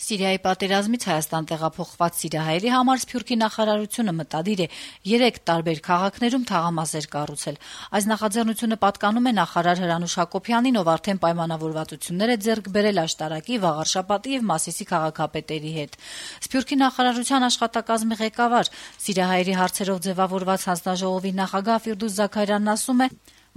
Սիրիայի պատերազմից Հայաստան տեղափոխված սիրիահայերի համար Սփյուռքի նախարարությունը մտադիր է 3 տարբեր քաղաքներում թաղամասեր կառուցել։ Այս նախաձեռնությունը պատկանում է նախարար Հրանուշ Հակոբյանին, ով արդեն պայմանավորվածություններ է ձեռք բերել Աշտարակի, Վաղարշապատի եւ Մասիսի քաղաքապետերի հետ։ Սփյուռքի նախարարության աշխատակազմի ղեկավար, սիրիահայերի հարցերով ձևավորված հանձնաժողովի նախագահ Ֆիրդուս Զաքարյանն ասում է,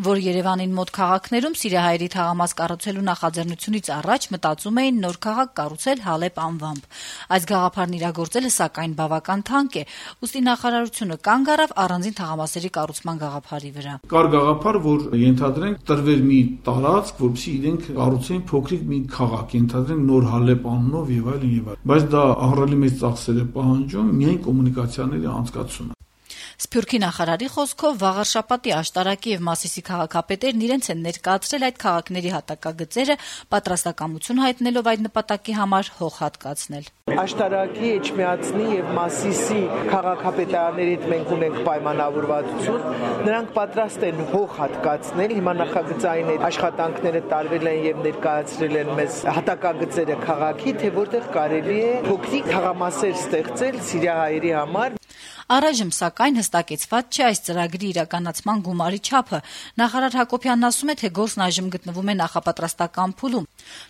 որ Երևանին մոտ քաղաքներում սիրիահայերի թաղամաս կառուցելու նախաձեռնությունից առաջ մտածում էին նոր քաղաք կառուցել Հալեբ անվամբ։ Այս գաղափարն իրագործելը սակայն բավական թանկ է, ուստի նախարարությունը կանգ առավ առանձին թաղամասերի կառուցման գաղափարի վրա։ Կար գաղափար, որ ենթադրենք տրվեր մի տարածք, որպեսզի իրենք կառուցեին փոքրիկ մի քաղաք, ենթադրենք նոր Հալեբ անունով եւ այլն եւ այլն։ Բայց դա ահռելի մեծ ծախսեր է պահանջում միայն կոմունիկացիաների անցկացումը։ Սփյուռքի նախարարի խոսքով Վաղարշապատի, Աշտարակի եւ Մասիսի քաղաքապետերն իրենց են ներկայացրել այդ քաղաքների հատակագծերը, պատրաստակամություն հայտնելով այդ նպատակի համար հող հատկացնել։ Աշտարակի, Էջմիածնի եւ Մասիսի քաղաքապետարանների հետ մենք ունենք պայմանավորվածություն, նրանք պատրաստ են հող հատկացնել, հիմա նախագծային աշխատանքները տարվել են եւ ներկայացրել են մեզ հատակագծերը քաղաքի, թե որտեղ կարելի է փոքրիկ թաղամասեր ստեղծել սիրիահայերի համար։ Առայժմ, սակայն, հստակեցված չէ այս ծրագրի իրականացման գումարի չափը։ Նախարար Հակոբյանն ասում է, թե գործն այժմ գտնվում է նախապատրաստական փուլում։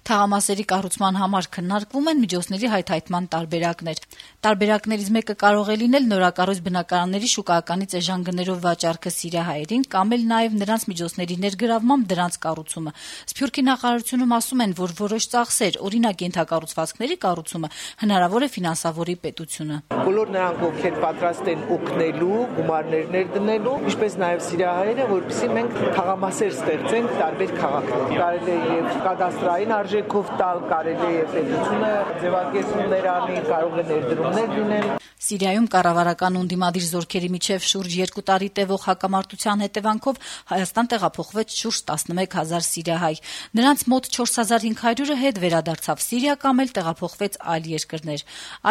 Թաղամասերի կառուցման համար քննարկվում են միջոցների հայթայթման տարբերակներ։ Տարբերակներից մեկը կարող է լինել նորակառույց բնակարանների շուկայականից էժան գներով վաճառքը սիրիահայերին կամ էլ նաև նրանց միջոցների ներգրավմամբ դրանց կառուցումը։ Սփյուռքի նախարարությունում ասում են, որ որոշ ծախսեր, օրինակ ենթակառուցվածքների կառուցումը, հնարավոր է ֆինանսավորի պետությունը։ Բոլոր նրանք, ովքեր պատրաստ են օգնելու, գումարներ ներդնելու, ինչպես նաև սիրիահայերը, որպեսզի մենք թաղամասեր ստեղծենք տարբեր քաղաքներում։ Կարելի է եւ կադաստրային արժեքով տալ, կարելի է պետությունը ձևակերպումներ անի, կարող է ներդրումներ լինել։ Սիրիայում կառավարական անդիմադիր զորքերի միջև շուրջ 2 տարի տևող հակամարտության հետևանքով Հայաստան տեղափոխվեց շուրջ 11,000 սիրիահայ։ Նրանց մոտ 4,500-ը հետ վերադարձավ Սիրիա կամ էլ տեղափոխվեց այլ երկրներ։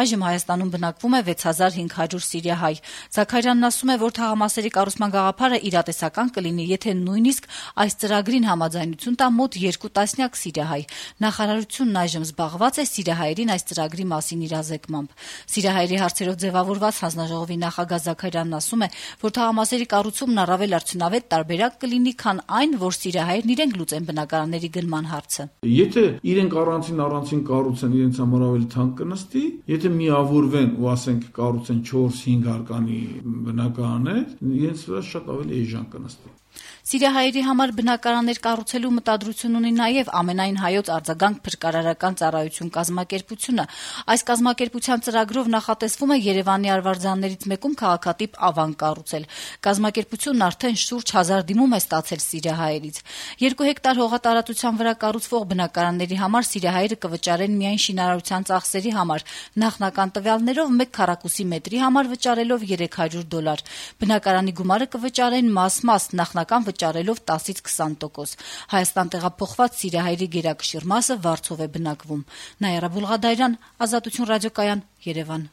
Այժմ Հայաստանում բնակվում է 6,500 սիրիահայ։ Զաքարյանն ասում է, որ թաղամասերի կառուցման գաղափարը իրատեսական կլինի, եթե նույնիսկ այս ծրագրին համաձայնություն տա մոտ 2 տասնյակ սիրիահայ։ Նախարարությունն այժմ զբաղված է սիրիահայերին այս ծրագրի մասին իրազեկմամբ։ Սիրիահայերի հարցերով ձևավորված հանձնաժողովի նախագահ Զաքարյանն ասում է, որ թաղամասերի կառուցումն առավել արդյունավետ տարբերակ կլինի, քան այն, որ սիրիահայերն իրենք լուծեն բնակարանների գնման հարցը։ Եթե իրենք առանցին կառուցեն, իրենց համար ավելի թանկ կնստի, եթե միավորվեն ու ասենք կառուցեն 4-5 հարկանի բնակարաններ, իրենց վրա շատ ավելի էժան կնստի։ Սիրիահայերի համար բնակարաններ կառուցելու մտադրություն ունի նաև ամենայն հայոց արձագանք փրկարարական ծառայություն կազմակերպությունը։ Այս կազմակերպության ծրագրով նախատեսվում է Երևանի արվարձաններից մեկում քաղաքատիպ ավան կառուցել։ Կազմակերպությունն արդեն շուրջ 1000 դիմում է ստացել սիրիահայերից։ 2 հեկտար հողատարածության վրա կառուցվող բնակարանների համար սիրիահայերը կվճարեն միայն շինարարության ծախսերի համար, նախնական տվյալներով 1 քառակուսի մետրի համար վճարելով $300։ Բնակարանի գումարը կվճարեն մաս-մաս, նախնական վճարելով 10-ից 20%։ Հայաստան տեղափոխված սիրիահայերի գերակշիռ մասը վարձով է բնակվում։ Նաիրա Բուլղադարյան, Ազատություն ռադիոկայան, Երևան։